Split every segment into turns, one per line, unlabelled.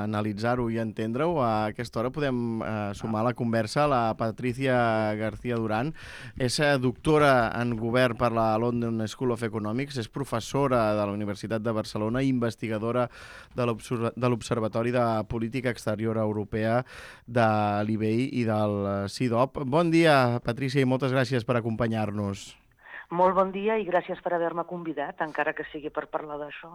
analitzar-ho i entendre-ho, a aquesta hora podem sumar a la conversa la Patricia García Durán. És doctora en govern per la London School of Economics, és professora de la Universitat de Barcelona i investigadora de l'Observatori de Política Exterior Europea de l'IBEI i del CIDOB. Bon dia, Patricia, i moltes gràcies per acompanyar-nos.
Molt bon dia i gràcies per haver-me convidat, encara que sigui per parlar d'això.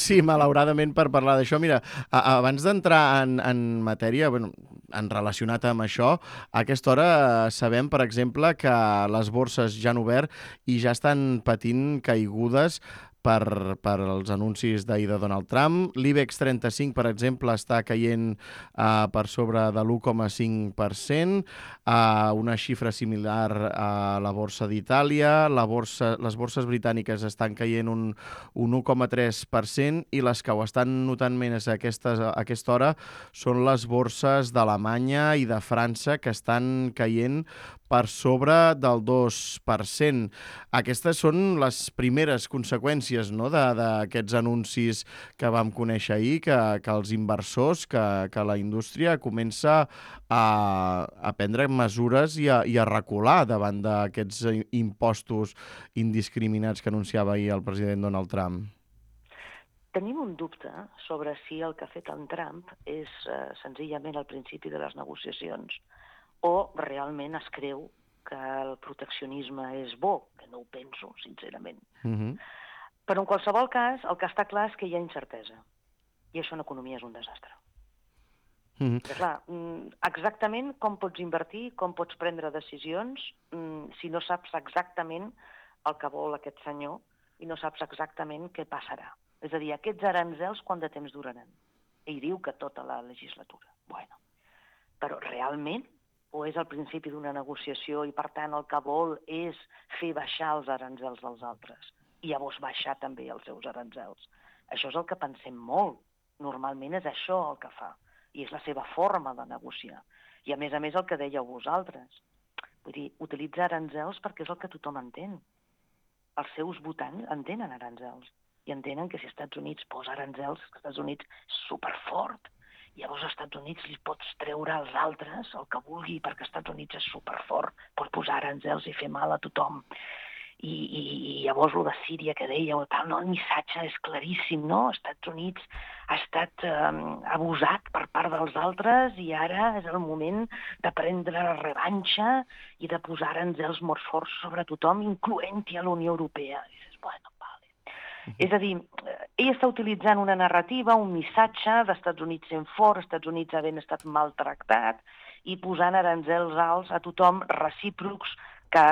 Sí, malauradament per parlar d'això. Mira, abans d'entrar en matèria, en relacionat amb això, a aquesta hora sabem, per exemple, que les borses ja han obert i ja estan patint caigudes per els anuncis d'ahir de Donald Trump. L'IBEX 35, per exemple, està caient per sobre de l'1,5%, una xifra similar a la borsa d'Itàlia. Les borses britàniques estan caient un 1,3% i les que ho estan notant més a aquesta hora són les borses d'Alemanya i de França, que estan caient per sobre del 2%. Aquestes són les primeres conseqüències, no?, d'aquests anuncis que vam conèixer ahir, que els inversors, que la indústria comença a prendre mesures i a recular davant d'aquests impostos indiscriminats que anunciava ahir el president Donald Trump.
Tenim un dubte sobre si el que ha fet en Trump és senzillament el principi de les negociacions o realment es creu que el proteccionisme és bo, que no ho penso, sincerament. Però en qualsevol cas, el que està clar és que hi ha incertesa. I això en economia és un desastre. Clar, exactament com pots invertir, com pots prendre decisions, si no saps exactament el que vol aquest senyor i no saps exactament què passarà. És a dir, aquests aranzels quant de temps duraran? Ell diu que tota la legislatura. Bueno, però realment o és el principi d'una negociació i, per tant, el que vol és fer baixar els aranzels dels altres i llavors baixar també els seus aranzels. Això és el que pensem molt. Normalment és això el que fa i és la seva forma de negociar. I, a més, el que dèieu vosaltres. Vull dir, utilitzar aranzels perquè és el que tothom entén. Els seus votants entenen aranzels i entenen que si als Estats Units posa aranzels, als Estats Units és superfort. Llavors als Estats Units li pots treure als altres el que vulgui perquè als Estats Units és superfort, pot posar aranzels i fer mal a tothom. I llavors el de Síria que dèieu, el missatge és claríssim, no? Els Estats Units ha estat abusat per part dels altres i ara és el moment de prendre revanxa i de posar aranzels molt forts sobre tothom, incloent-hi a la Unió Europea. I dius, bueno, és a dir, ell està utilitzant una narrativa, un missatge d'Estats Units sent fort, Estats Units havent estat maltractat i posant aranzels alts a tothom recíprocs que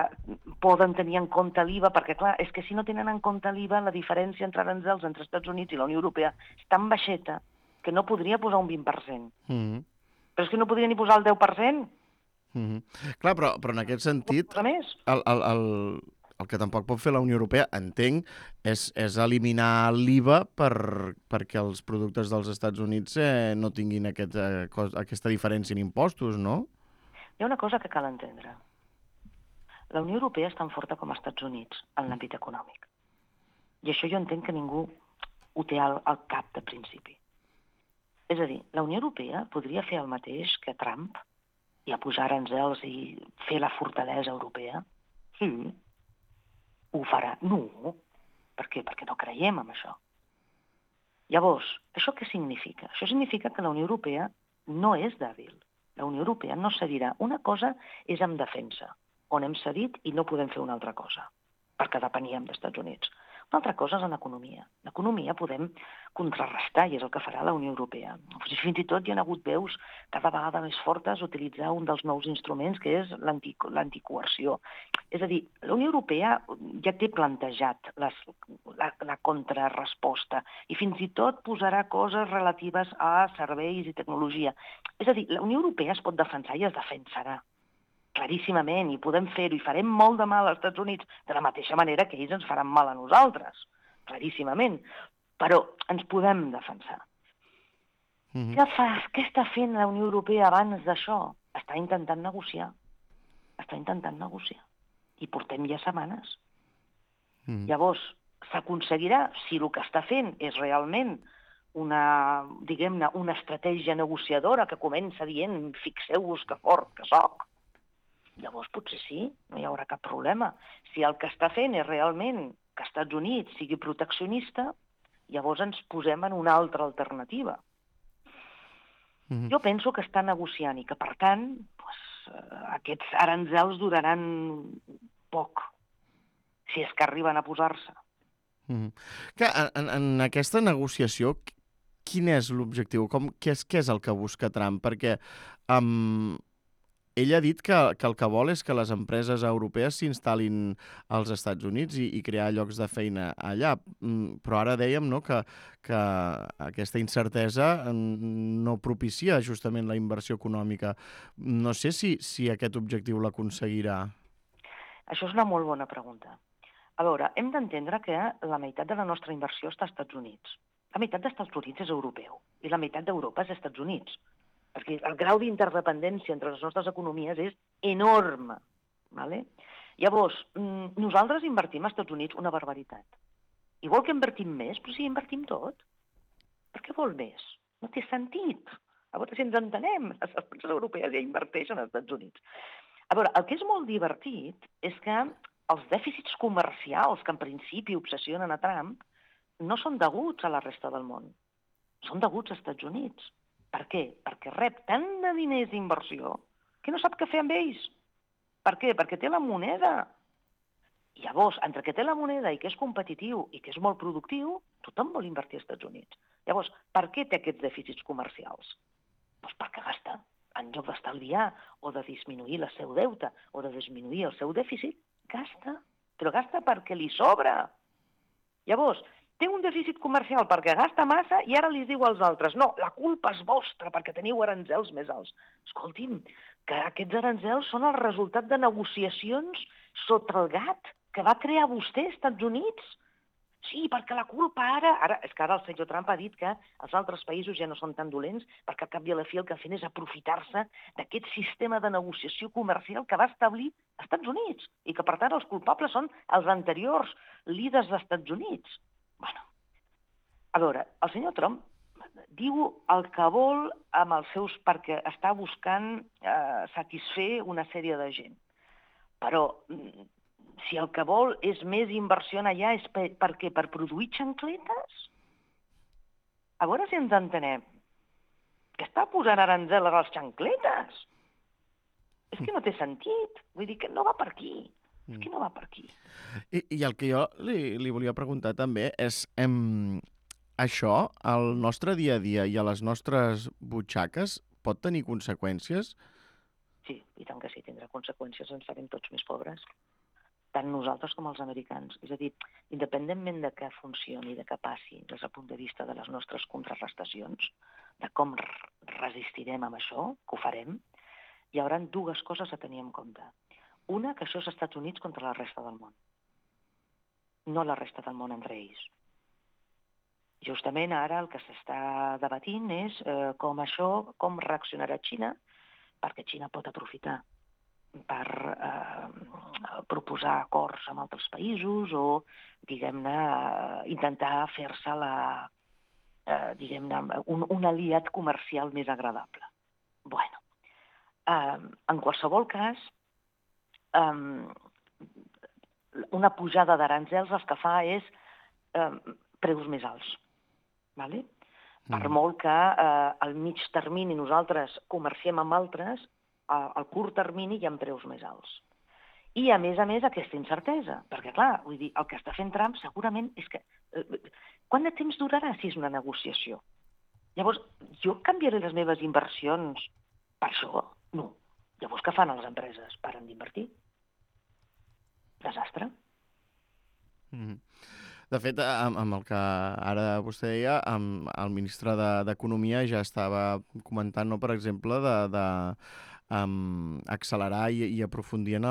poden tenir en compte l'IVA, perquè clar, és que si no tenen en compte l'IVA, la diferència entre aranzels entre Estats Units i la Unió Europea és tan baixeta que no podria posar un 20%. Però és que no podria ni posar el 10%.
Clar, però en aquest sentit, el que tampoc pot fer la Unió Europea, entenc, és eliminar l'IVA perquè els productes dels Estats Units no tinguin aquesta diferència en impostos, no?
Hi ha una cosa que cal entendre. La Unió Europea és tan forta com els Estats Units en l'àmbit econòmic. I això jo entenc que ningú ho té al cap de principi. És a dir, la Unió Europea podria fer el mateix que Trump i a posar aranzels i fer la fortalesa europea? Sí. Ho farà? No. Per què? Perquè no creiem en això. Llavors, això què significa? Això significa que la Unió Europea no és dèbil. La Unió Europea no cedirà. Una cosa és en defensa, on hem cedit i no podem fer una altra cosa, perquè depeníem dels Estats Units. Una altra cosa és en economia. En economia podem contrarrestar, i és el que farà la Unió Europea. Fins i tot hi ha hagut veus cada vegada més fortes utilitzar un dels nous instruments, que és l'anticoerció. És a dir, la Unió Europea ja té plantejat la contrarresposta i fins i tot posarà coses relatives a serveis i tecnologia. És a dir, la Unió Europea es pot defensar i es defensarà claríssimament, i podem fer-ho, i farem molt de mal als Estats Units, de la mateixa manera que ells ens faran mal a nosaltres, claríssimament, però ens podem defensar. Què està fent la Unió Europea abans d'això? Està intentant negociar. I portem ja setmanes. Llavors, s'aconseguirà, si el que està fent és realment diguem-ne, una estratègia negociadora que comença dient fixeu-vos que fort que soc, llavors potser sí, no hi haurà cap problema. Si el que està fent és realment que els Estats Units sigui proteccionista, llavors ens posem en una altra alternativa. Jo penso que està negociant i que, per tant, aquests aranzels duraran poc, si és que arriben a posar-se.
Que en aquesta negociació, quin és l'objectiu? Què és el que busca Trump? Perquè ell ha dit que el que vol és que les empreses europees s'instal·lin als Estats Units i crear llocs de feina allà. Però ara dèiem, no, que aquesta incertesa no propicia justament la inversió econòmica. No sé si aquest objectiu l'aconseguirà.
Això és una molt bona pregunta. A veure, hem d'entendre que la meitat de la nostra inversió està als Estats Units. La meitat dels Estats Units és europeu i la meitat d'Europa és als Estats Units. Perquè el grau d'interdependència entre les nostres economies és enorme. ¿Vale? Llavors, nosaltres invertim als Estats Units una barbaritat. Igual que invertim més, però sí, invertim tot. Per què vol més? No té sentit. A veure si ens entenem. Les empreses europees ja inverteixen als Estats Units. A veure, el que és molt divertit és que els dèficits comercials que en principi obsessionen a Trump no són deguts a la resta del món. Són deguts als Estats Units. Per què? Perquè rep tant de diners d'inversió que no sap què fer amb ells. Per què? Perquè té la moneda. I llavors, entre que té la moneda i que és competitiu i que és molt productiu, tothom vol invertir als Estats Units. Llavors, per què té aquests dèficits comercials? Doncs perquè gasta. En lloc d'estalviar o de disminuir el seu deute o de disminuir el seu dèficit, gasta. Però gasta perquè li sobra. Llavors, té un dèficit comercial perquè gasta massa i ara li diu als altres no, la culpa és vostra perquè teniu aranzels més alts. Escolti'm, que aquests aranzels són el resultat de negociacions sota el gat que va crear vostè, Estats Units. Sí, perquè la culpa ara és que ara el senyor Trump ha dit que els altres països ja no són tan dolents perquè al cap i a la fi el que fan és aprofitar-se d'aquest sistema de negociació comercial que va establir als Estats Units i que, per tant, els culpables són els anteriors líders dels Estats Units. Bueno, a veure, el senyor Trump diu el que vol amb els seus perquè està buscant satisfer una sèrie de gent. Però si el que vol és més inversió allà és per què? Per produir xancletes? A veure si ens entenem. Que està posant aranzel a les xancletes? És que no té sentit. Vull dir que no va per aquí. És que no va per aquí.
I el que jo li volia preguntar també és això, al nostre dia a dia i a les nostres butxaques, pot tenir conseqüències?
Sí, i tant que sí, tindrà conseqüències, ens farem tots més pobres. Tant nosaltres com els americans. És a dir, independentment de què funcioni, de què passi, des del punt de vista de les nostres contrarrestacions, de com resistirem amb això, que ho farem, hi haurà dues coses a tenir en compte. Una, que això és Estats Units contra la resta del món. No la resta del món entre ells. Justament ara el que s'està debatint és com reaccionarà Xina, perquè Xina pot aprofitar per proposar acords amb altres països o, diguem-ne, intentar fer-se un aliat comercial més agradable. Bueno, en qualsevol cas, una pujada d'aranzels el que fa és preus més alts. Vale? Per molt que al mig termini nosaltres comerciem amb altres, al curt termini hi ha preus més alts. I, a més, aquesta incertesa. Perquè, clar, vull dir, el que està fent Trump segurament és que... Quant de temps durarà si és una negociació? Llavors, jo canviaré les meves inversions per això? No. Llavors, què fan les empreses? Paren d'invertir. Desastre.
De fet, amb el que ara vostè deia, el ministre d'Economia ja estava comentant, no, per exemple, de accelerar i aprofundir en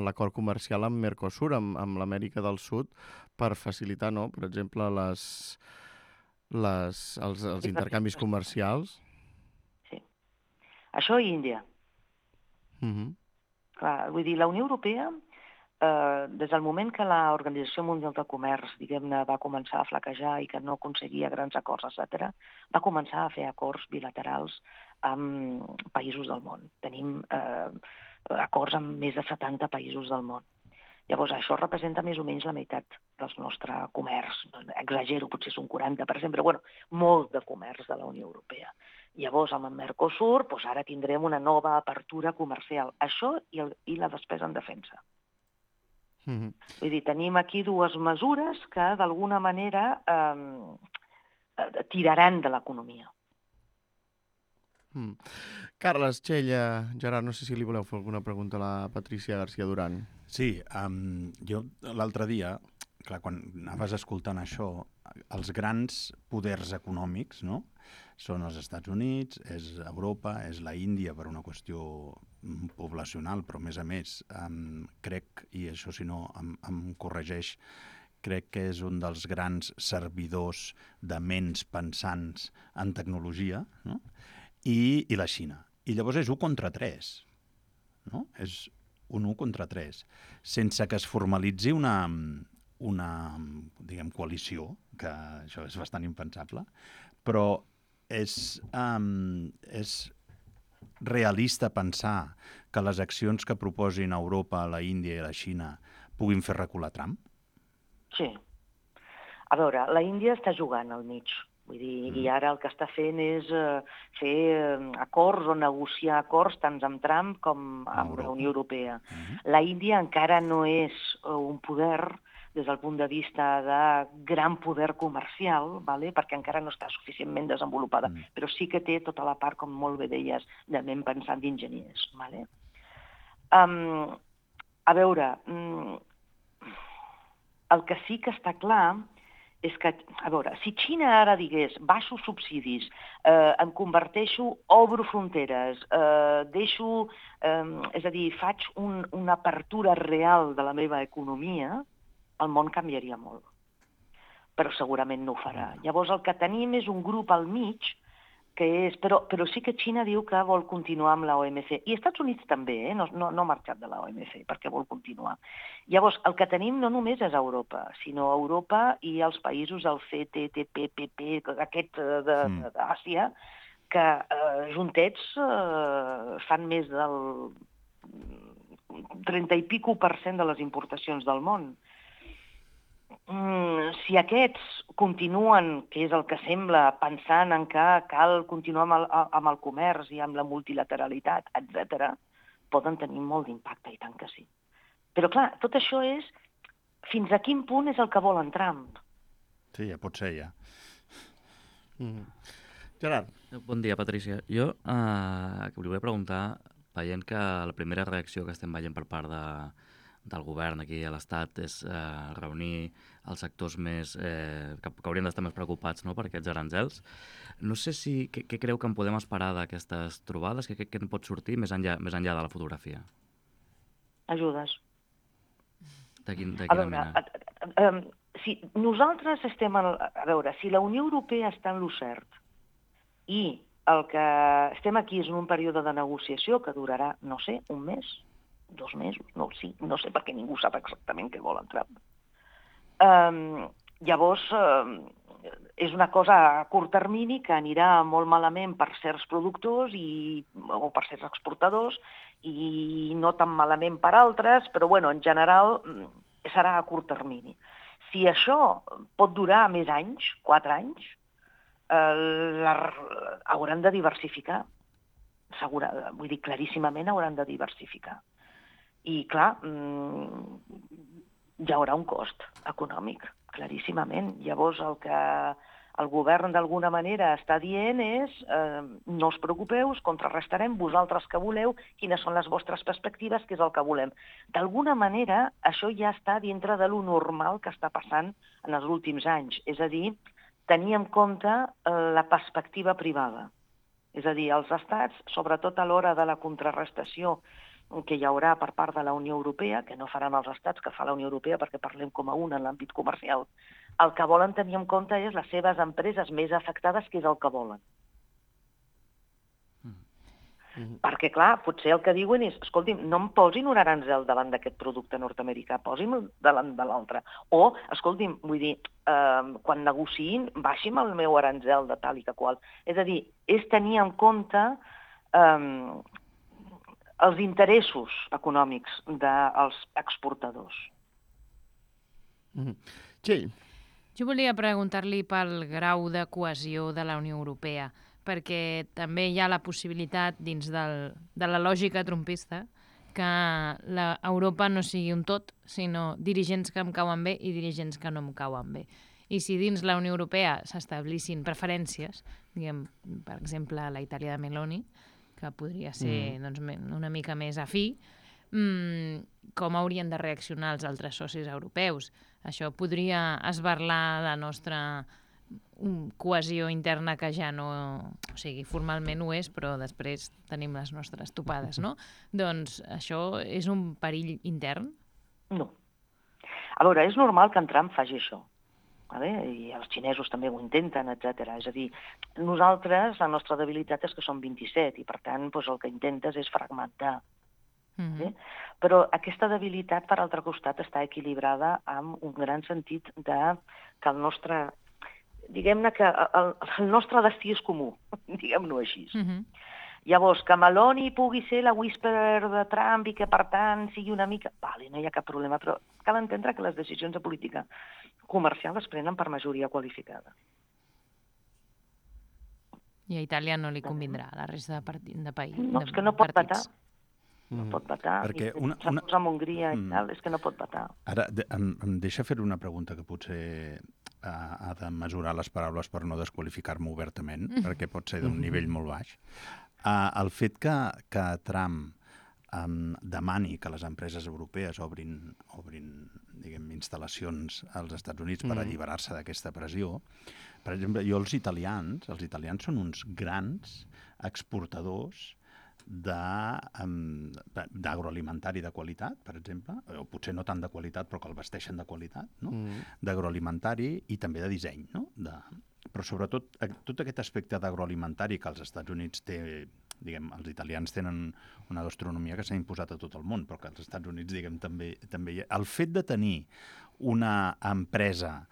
l'acord comercial amb Mercosur, amb l'Amèrica del Sud, per facilitar, no, per exemple, els intercanvis comercials.
Sí. Això i Índia. Clar, vull dir, la Unió Europea des del moment que l'Organització Mundial de Comerç, diguem-ne, va començar a flaquejar i que no aconseguia grans acords, etc., va començar a fer acords bilaterals amb països del món. Tenim acords amb més de 70 països del món. Llavors, això representa més o menys la meitat del nostre comerç. Exagero, potser és un 40%, però bueno, molt de comerç de la Unió Europea. Llavors, amb el Mercosur, doncs ara tindrem una nova apertura comercial. Això i la despesa en defensa. Vull dir, tenim aquí dues mesures que d'alguna manera tiraran de l'economia.
Carles, Txell, Gerard, no sé si li voleu fer alguna pregunta a la Patrícia García Duran.
Sí, jo l'altre dia, clar, quan anaves escoltant això, els grans poders econòmics, no?, són els Estats Units, és Europa, és la Índia per una qüestió poblacional, però a més, crec, i això si no em corregeix, crec que és un dels grans servidors de ments pensants en tecnologia, no?, i la Xina. I llavors és 1 contra 3, no? És un 1 contra 3, sense que es formalitzi una diguem, coalició, que això és bastant impensable, però és realista pensar que les accions que proposin Europa, la Índia i la Xina puguin fer recular Trump?
Sí. A veure, la Índia està jugant al mig. Vull dir, i ara el que està fent és fer acords o negociar acords tant amb Trump com amb la Unió Europea. La Índia encara no és un poder des del punt de vista de gran poder comercial, perquè encara no està suficientment desenvolupada, però sí que té tota la part, com molt bé deies, de ment pensant d'enginyers. A veure, el que sí que està clar és que, a veure, si Xina ara digués baixo subsidis, em converteixo, obro fronteres, deixo, és a dir, faig una apertura real de la meva economia, el món canviaria molt. Però segurament no ho farà. Llavors el que tenim és un grup al mig que és... Però sí que Xina diu que vol continuar amb la OMC. I Estats Units també, no ha marxat de la OMC perquè vol continuar. Llavors, el que tenim no només és Europa, sinó Europa i els països del CTTPP, aquest d'Àsia, que juntets fan més del 30 i pico % de les importacions del món. Si aquests continuen, que és el que sembla, pensant en que cal continuar amb el comerç i amb la multilateralitat, etc., poden tenir molt d'impacte, i tant que sí. Però clar, tot això és fins a quin punt és el que volen Trump.
Sí, ja pot ser, ja.
Gerard.
Bon dia, Patrícia. Jo li volia preguntar, veient que la primera reacció que estem veient per part del govern aquí a l'Estat és reunir els sectors més que haurien d'estar més preocupats, no?, per aquests aranzels. No sé què creu que en podem esperar d'aquestes trobades, què en pot sortir més enllà de la fotografia?
Ajudes.
De quina mena?
Si nosaltres estem... A veure, si la Unió Europea està en lo cert i el que estem aquí és en un període de negociació que durarà, no sé, un mes, 2 mesos, no sé, perquè ningú sap exactament què vol Trump. Llavors, és una cosa a curt termini que anirà molt malament per certs productors o per certs exportadors i no tan malament per altres, però en general serà a curt termini. Si això pot durar més anys, 4 anys, hauran de diversificar. Vull dir, claríssimament hauran de diversificar. I, clar, hi haurà un cost econòmic, claríssimament. Llavors, el que el govern d'alguna manera està dient és no us preocupeu, us contrarrestarem, vosaltres que voleu, quines són les vostres perspectives, què és el que volem. D'alguna manera, això ja està dintre de lo normal que està passant en els últims anys. És a dir, tenir en compte la perspectiva privada. És a dir, els estats, sobretot a l'hora de la contrarrestació que hi haurà per part de la Unió Europea, que no faran els estats, que fa la Unió Europea perquè parlem com a un en l'àmbit comercial, el que volen tenir en compte és les seves empreses més afectades, que és el que volen. Perquè, clar, potser el que diuen és, escolti'm, no em posin un aranzel davant d'aquest producte nord-americà, posi'm davant de l'altre. O, escolti'm, vull dir, quan negociïn, baixi'm el meu aranzel de tal i que qual. És a dir, és tenir en compte els interessos econòmics dels exportadors.
Txell.
Jo volia preguntar-li pel grau de cohesió de la Unió Europea, perquè també hi ha la possibilitat, dins de la lògica trumpista, que Europa no sigui un tot, sinó dirigents que em cauen bé i dirigents que no em cauen bé. I si dins la Unió Europea s'establissin preferències, diguem, per exemple, la Itàlia de Meloni, que podria ser doncs, una mica més afí, com haurien de reaccionar els altres socis europeus? Això podria esberlar la nostra cohesió interna, que ja no... O sigui, formalment ho és, però després tenim les nostres topades, no? Doncs això és un perill intern?
No. A veure, és normal que en Trump faci això. I els xinesos també ho intenten, etc. És a dir, nosaltres, la nostra debilitat és que som 27 i, per tant, el que intentes és fragmentar. Però aquesta debilitat, per altre costat, està equilibrada amb un gran sentit de que el nostre... Diguem-ne que el nostre destí és comú, diguem-ho així. Llavors, que Meloni pugui ser la whisperer de Trump i que, per tant, sigui una mica... Vale, no hi ha cap problema, però cal entendre que les decisions de política comercial es prenen per majoria qualificada.
I a Itàlia no li convindrà, a la resta de països.
No, és que no pot vetar. No pot vetar.
Perquè
I amb Hongria i tal, és que no pot vetar.
Ara, em deixa fer una pregunta que potser ha de mesurar les paraules per no desqualificar-me obertament, perquè pot ser d'un nivell molt baix. El fet que Trump demani que les empreses europees obrin diguem, instal·lacions als Estats Units per alliberar-se d'aquesta pressió. Per exemple, els italians són uns grans exportadors d'agroalimentari de qualitat, per exemple, o potser no tant de qualitat, però que el vesteixen de qualitat, no? D'agroalimentari i també de disseny, no? Però sobretot tot aquest aspecte d'agroalimentari que als Estats Units té, diguem, els italians tenen una gastronomia que s'ha imposat a tot el món, però que als Estats Units, diguem, també hi ha. El fet de tenir una empresa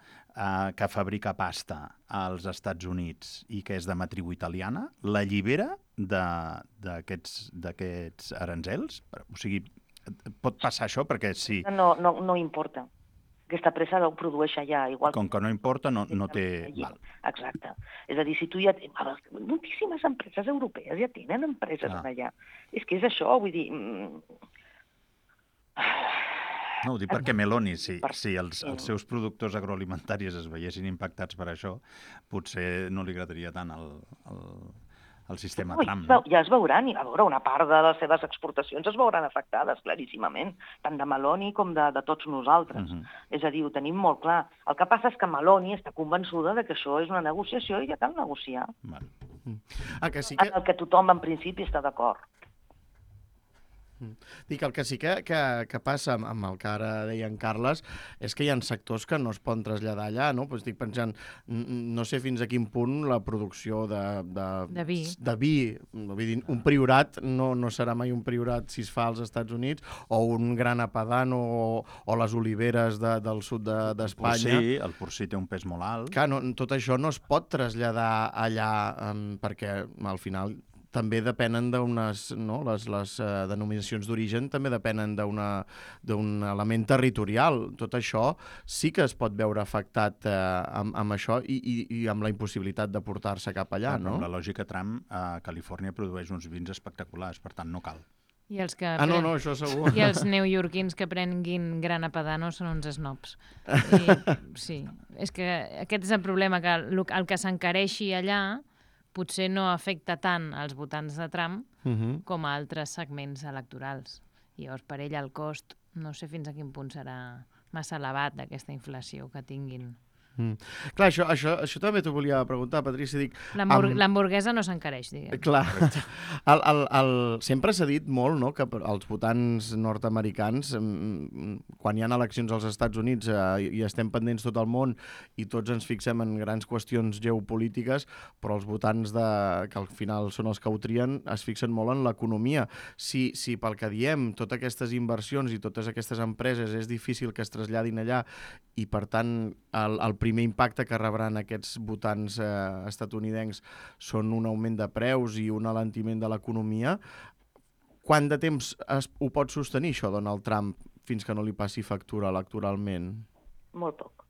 que fabrica pasta als Estats Units i que és de matriu italiana, l'allibera d'aquests aranzels? O sigui, pot passar això? Perquè sí.
No importa. Aquesta pressa ho produeix allà. Igual
com que no importa, no té... Val.
Exacte. És a dir, si tu ja... Moltíssimes empreses europees ja tenen empreses allà. És que és això, vull dir...
No, ho dic perquè Meloni, si els seus productors agroalimentaris es veiessin impactats per això, potser no li agradaria tant el sistema Trump.
Ja es veuran, i a veure, una part de les seves exportacions es veuran afectades, claríssimament, tant de Meloni com de tots nosaltres. És a dir, ho tenim molt clar. El que passa és que Meloni està convençuda de que això és una negociació i ja cal negociar.
Que sí que...
En el que tothom, en principi, està d'acord.
Dic, el que sí que passa amb el que ara deia en Carles és que hi ha sectors que no es poden traslladar allà, no? Pues estic pensant, no sé fins a quin punt la producció de vi, vull dir, un priorat no serà mai un priorat si es fa als Estats Units, o un gran apadano o les oliveres del sud d'Espanya.
El porcí té un pes molt alt.
Clar, tot això no es pot traslladar allà perquè al final també depenen d'unes... Les denominacions d'origen també depenen d'un element territorial. Tot això sí que es pot veure afectat amb això i amb la impossibilitat de portar-se cap allà, no?
Amb la lògica Trump, Califòrnia produeix uns vins espectaculars, per tant no cal.
I els que
no, això segur.
I els neoyorquins que prenguin Grana Padano són uns snobs. Sí, és que aquest és el problema, que el que s'encareixi allà potser no afecta tant als votants de Trump com a altres segments electorals. I llavors, per ell, el cost, no sé fins a quin punt serà massa elevat d'aquesta inflació que tinguin
Clar, això també t'ho volia preguntar, Patrícia. Dic,
L'hamburguesa no s'encareix, diguem.
clar, sempre s'ha dit molt, no?, que els votants nord-americans, quan hi ha eleccions als Estats Units i estem pendents tot el món i tots ens fixem en grans qüestions geopolítiques, però els votants que al final són els que ho trien es fixen molt en l'economia. Si pel que diem, totes aquestes inversions i totes aquestes empreses és difícil que es traslladin allà i, per tant, el primer impacte que rebran aquests votants estatunidencs són un augment de preus i un alentiment de l'economia. Quant de temps ho pot sostenir això Donald Trump fins que no li passi factura electoralment?
Molt poc.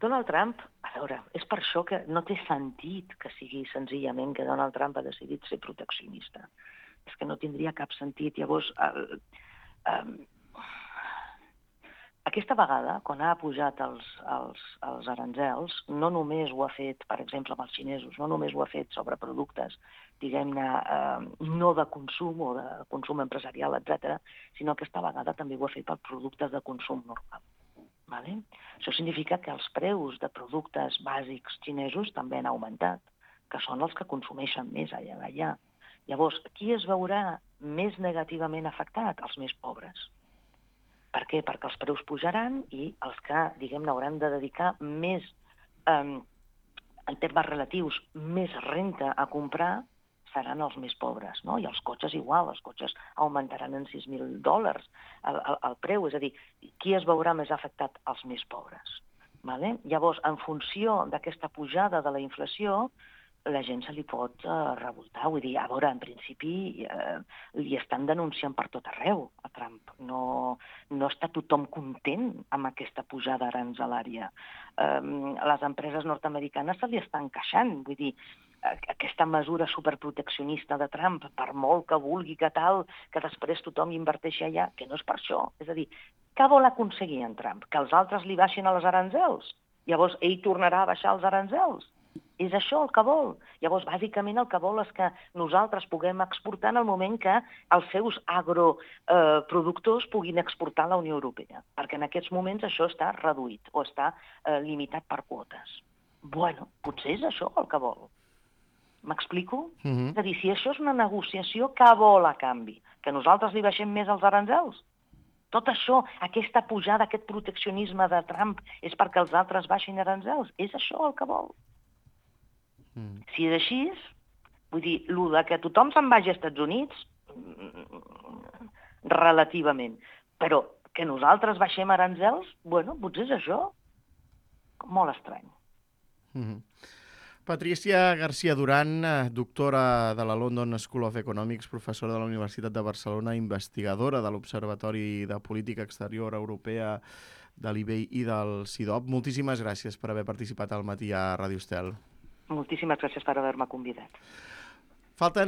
Donald Trump, a veure, és per això que no té sentit que sigui senzillament que Donald Trump ha decidit ser proteccionista. És que no tindria cap sentit. Llavors, aquesta vegada, quan ha pujat els aranzels, no només ho ha fet, per exemple, amb els xinesos, no només ho ha fet sobre productes, diguem-ne, no de consum o de consum empresarial, etc., sinó que aquesta vegada també ho ha fet per productes de consum normal. Vale? Això significa que els preus de productes bàsics xinesos també han augmentat, que són els que consumeixen més allà. Llavors, qui es veurà més negativament afectat? Els més pobres. Per què? Perquè els preus pujaran i els que, diguem-ne, hauran de dedicar més, en termes relatius, més renta a comprar seran els més pobres, no? I els cotxes igual, els cotxes augmentaran en $6.000 el preu, és a dir, qui es veurà més afectat? Els més pobres. Vale? Llavors, en funció d'aquesta pujada de la inflació, la gent se li pot revoltar. Vull dir, a veure, en principi li estan denunciant per tot arreu a Trump. No està tothom content amb aquesta pujada aranzelària. Les empreses nord-americanes se li estan queixant. Vull dir, aquesta mesura superproteccionista de Trump, per molt que vulgui que tal, que després tothom inverteixi allà, que no és per això. És a dir, què vol aconseguir en Trump? Que els altres li baixin els aranzels? Llavors ell tornarà a baixar els aranzels? És això el que vol. Llavors, bàsicament, el que vol és que nosaltres puguem exportar en el moment que els seus agroproductors puguin exportar a la Unió Europea, perquè en aquests moments això està reduït o està limitat per quotes. Bueno, potser és això el que vol. M'explico? És a dir, si això és una negociació, què vol a canvi? Que nosaltres li baixem més els aranzels? Tot això, aquesta pujada, aquest proteccionisme de Trump, és perquè els altres baixin aranzels? És això el que vol? Si és així, vull dir, el que tothom se'n vagi als Estats Units, relativament, però que nosaltres baixem aranzels, bueno, potser és això. Molt estrany.
Patrícia García Duran, doctora de la London School of Economics, professora de la Universitat de Barcelona, investigadora de l'Observatori de Política Exterior Europea de l'IBEI i del CIDOB. Moltíssimes gràcies per haver participat al matí a Ràdio Estel.
Moltíssimes gràcies per haver-me convidat.
Falten